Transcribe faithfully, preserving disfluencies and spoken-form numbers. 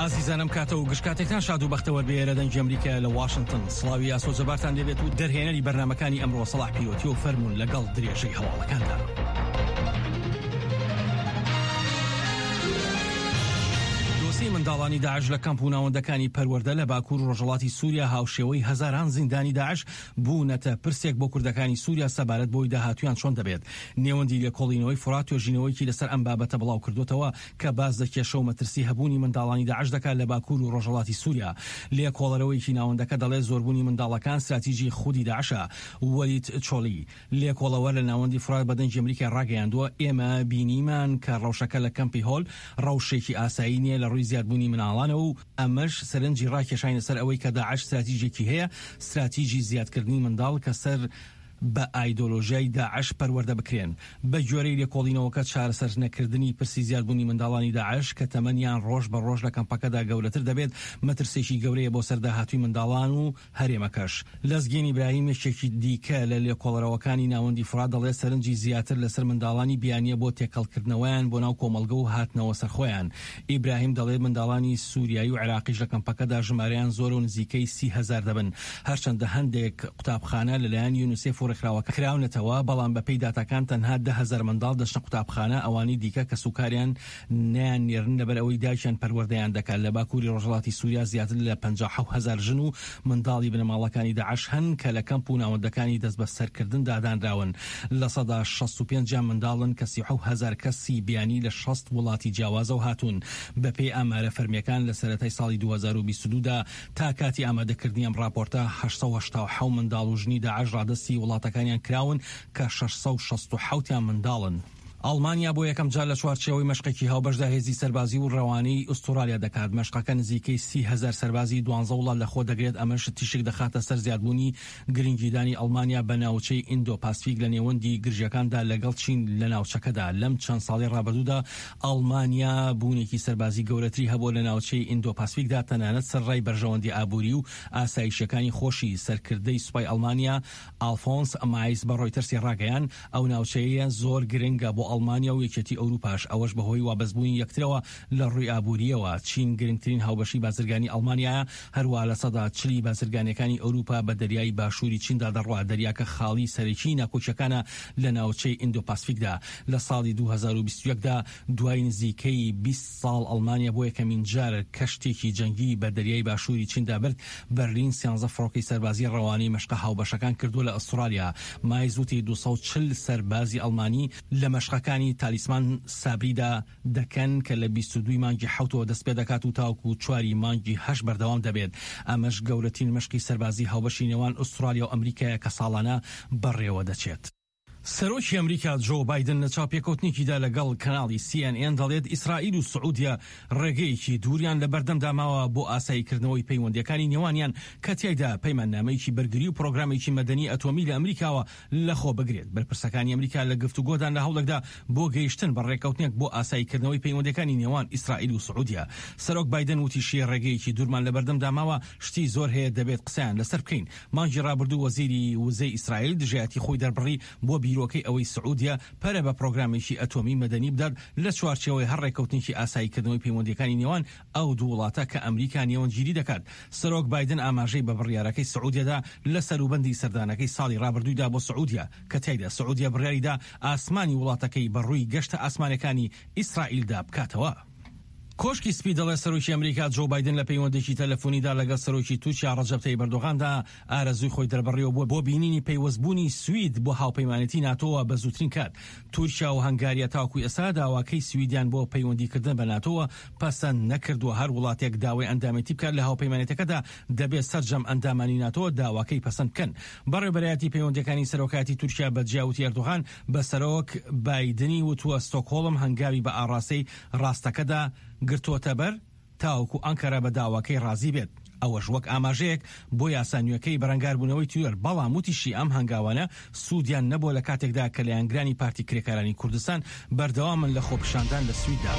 ئازیزانم کاتە و گشت کاتێکتان شاد و بەختەوەر بێ لە دەنگی ئەمریکا لە واشنگتن. سڵاوی ئاسۆ جەبارتان لێبێت و دەرهێنەری بەرنامەکانی ئەمڕۆ سەڵاح پیرۆتی و فەرموون لەگەڵ درێژەی هەواڵەکاندا. دۆسیەی منداڵانی داعش لە کەمپ و ناوەندەکانی پەروەردە لە باکوور و ڕۆژهەڵاتی سووریا هاوشێوەی هەزاران زیندانی داعش بوونەتە پرسێک بۆ کوردەکانی سووریا سەبارەت بۆی داهاتوویان چۆن دەبێت. نێوەندی لێکۆڵینەوەی فورات توێژینەوەیەکی لەسەر ئەم بابەتە بڵاو کردوتەوە کە باس لە کێشە و مەترسی هەبوونی منداڵانی داعش دەکات لە باکوور و ڕۆژهەڵاتی سووریا. لێکۆڵەرەوەیەکی ناوەندەکە دەڵێت زۆربوونی منداڵەکان ستراتیژی خودی داعشە. وەلید چۆلی لێکۆڵەوەر لە ناوەندی فورات بە دەنگی ئەمریکای ڕاگەیاندووە ئێمە بینیمان کە ڕەوشەکە لە کەمپی هۆل ڕەوشێکی ئاسایی نییە لە ڕووی زیادبوونی مناڵانەوە و ئەمەش سەرنجی ڕاکێشاینە سەر ئەوەی کە داعش ستراتیژێکی هەیە، ستراتیژی زیادکردنی منداڵ کە سەر بە ئایدۆلۆژیای داعش پەروەردە بکرێن. بە گوێرەی لێکۆڵینەوەکە چارەسەر نەکردنی پرسی زیادبوونی منداڵانی داعش کە تەمەنیان ڕۆژ بە ڕۆژ لە کەمپەکەدا گەورەتر دەبێت مەترسێکی گەورەیە بۆ سەر داهاتووی منداڵان و هەرێمەکەش. لەزگین ئیبراهیم یەکێکی دیکە لە لێکۆڵەرەوەکانی ناوەندی فورات دەڵێت سەرنجی زیاتر لەسەر منداڵانی بیانیە بۆ تێکەڵکردنەوەیان بۆ ناو کۆمەڵگە و هاتنەوە سەرخۆیان. ئیبراهیم دەڵێت منداڵانی سووریایی و عێراقیش لە کەمپەکەدا ژمارەیان زۆرە و نزیکەی سی هەزار دەبن. هەرچەندە هەندێک قوتابخانە لەلایەن یونیسێف و ڕێکخراوەکە کراونەتەوە، بەڵام بەپێی داتاکان تەنها دە هەزار منداڵ دەچنە قوتابخانە، ئەوانەی دیکە کەسوکاریان نەیان نێرن لەبەر ئەوەی دایکیان پەروەردەیان دەکات. لە باکووری ڕۆژهەڵاتی سووریا زیاتر لە پەنجا و حەوت هەزار ژن و منداڵی بنەماڵەکانی داعش هەن کە لە کەمپ و ناوەندەکانی دەستبەسەرکردندا دانراون. لە سەدا شەست و پێنجیان منداڵن کە سی و حەوت هەزار کەسی بیانی لە شەست وڵاتی جیاوازەوە هاتوون. بەپێی ئامارە فەرمیەکان لە سەرەتای ساڵی دوو هەزار و بیست و دوو دا تا کاتی ئامادەکردنی ئەم ڕاپۆرتە هەشت سەد و هەشتا و حەوت منداڵ و ژنی داعش ڕادەستی وڵاتەکانیان کراون کە شەش سەد و شەست و حەوتیان منداڵن. ئەڵمانیا بۆ یەکەم جار لە چوارچێوەی مەشقێکی هاوبەشدا هێزی سەربازی و ڕەوانەی ئوسترالیا دەکات. مەشقەکە نزیکەی سی هەزار سەربازی دوانزە وڵات لەخۆ دەگرێت، ئەمەش تیشک دەخاتە سەر زیادبوونی گرنگیدانی ئەڵمانیا بە ناوچەی ئیندۆ پاسفیک لە نێوەندی گرژیەکاندا لەگەڵ چین لە ناوچەکەدا. لەم چەند ساڵی ڕابردوودا ئەڵمانیا بوونێکی سەربازی گەورەتری هەبووە لە ناوچەی ئیندۆ پاسفیکدا، تەنانەت سەرڕای بەرژەوەندی ئابووری و ئاسایشیەکانی خۆشی. سەرکردەی سوپای ئەڵمانیا ئالفۆنس مایس بە ڕۆیتەرسی ڕاگەیان ئەو ناوچەیە زۆر گرنگە بۆ ئەڵمانیا و یەکێتی ئەوروپاش، ئەوەش بەهۆی وابەستبوونی یەکترەوە لە ڕووی ئابووریەوە. چین گرنگترین هاوبەشی بازرگانی ئەڵمانیایە، هەروە لە سەدا چلی بازرگانیەکانی ئەوروپا بە دەریای باشووری چیندا دەڕوا. دەریاکە خاڵی سەرەکی ناکۆکیەکانە لە ناوچەی ئیندۆ پاسفیکدا. لە ساڵی دوو هەزار و بیست و یەک دا دوای نزیکەی بیست ساڵ ئەڵمانیا بۆ یەکەمین جار کەشتێکی جەنگی بە دەریای باشووری چیندا برد. بەرلین سیانزە فڕۆکەی سەربازی ڕەوانەی مەشقە هاوبەشەکان کردووە لە ئوسترالیا. مایز وتی دوو سەد و چل سەربازی ئەڵمانی لە مەشقەکانی تالیسمان سابریدا دەکەن کە لە بیست و دووی مانگی حەوتەوە دەست پێ دەکات و تاوەکو چواری مانگی هەشت بەردەوام دەبێت. ئەمەش گەورەترین مەشقی سەربازی هاوبەشی نێوان ئوسترالیا و ئەمریکایە کە ساڵانە بەڕێوە دەچێت. سەرۆکی ئەمریکا جۆ بایدن لە چاوپێکەوتنێکیدا لەگەڵ کەناڵی سی ئێن ئێن دەڵێت ئیسرائیل و سعودیە ڕێگەیەکی دووریان لە بەردەمدا ماوە بۆ ئاساییکردنەوەی پەیوەندیەکانی نێوانیان کە تیایدا پەیماننامەیەکی بەرگری و پرۆگرامێکی مەدەنی ئەتۆمی لە ئەمریکاوە لەخۆ بگرێت. بەرپرسەکانی ئەمریکا لە گفتوگۆدان لە هەوڵێکدا بۆ گەیشتن بە ڕێککەوتنێک بۆ ئاساییکردنەوەی پەیوەندیەکانی نێوان ئیسرائیل و سعودیە. سەرۆک بایدن وتیشی ڕێگەیەکی دوورمان لە بەردەمدا ماوە، شتی زۆر هەیە دەبێت قسەیان لەسەر بکەین. مانگی ڕابردوو وەزیری وزەی ئیسرائیل دژایەتی خۆی دەربڕی بۆ بیرۆکەی ئەوەی سعودیە پەرە بە پرۆگرامێکی ئەتۆمی مەدەنی بدات لە چوارچێوەی هەر ڕێککەوتنێکی ئاساییکردنەوەی پەیوەندیەکانی نێوان ئەو دوو وڵاتە کە ئەمریکا نێوەندگیری دەکات. سەرۆک بایدن ئاماژەی بە بڕیارەکەی سعودیەدا لە سەروبەندی سەردانەکەی ساڵی ڕابردوویدا بۆ سعودیە کە تیایدا سعودیە بڕیاریدا ئاسمانی وڵاتەکەی بە ڕووی گەشتە ئاسمانەکانی ئیسرائیلدا بکاتەوە. کۆشکی سپی دەڵێت سەرۆکی ئەمریکا جۆ بایدن لە پەیوەندێکی تەلەفۆنیدا لەگەڵ سەرۆکی تورکیا ڕەجەب تەیب ئەردۆغاندا ئارەزووی خۆی دەربڕیەوە بۆ بۆ بینینی پەیوەستبوونی سوید بۆ هاوپەیمانێتی ناتۆوە بە زووترین کات. تورکیا و هەنگاریا تاوەکو ئێستا داواکەی سویدیان بۆ پەیوەندیکردن بە ناتۆوە پەسەند نەکردووە. هەر وڵاتێک داوای ئەندامێتی بکات لە هاوپەیمانێتەکەدا دەبێت سەرجەم ئەندامانی ناتۆ داواکەی پەسەند بکەن. بەڕێوەبەرایەتی پەیوەندیەکانی سەرۆکایەتی تورکیا بە جیاوتی ئەردۆغان بە سەرۆک بایدنی وتووە ستۆکهۆڵم هەنگاوی بە ئاڕاستەی ڕاستەکەدا گرتووەتە بەر تاوەکو ئەنکەرە بە داواکەی ڕازی بێت، ئەوەش وەک ئاماژەیەک بۆ یاسا نوێکەی بەرەنگاربوونەوەی تیرۆر. بەڵام وتیشی ئەم هەنگاوانە سوودیان نەبووە لە کاتێکدا کە لایەنگرانی پارتی کرێکارانی کوردستان بەردەوامن لە خۆپیشاندان لە سویددا.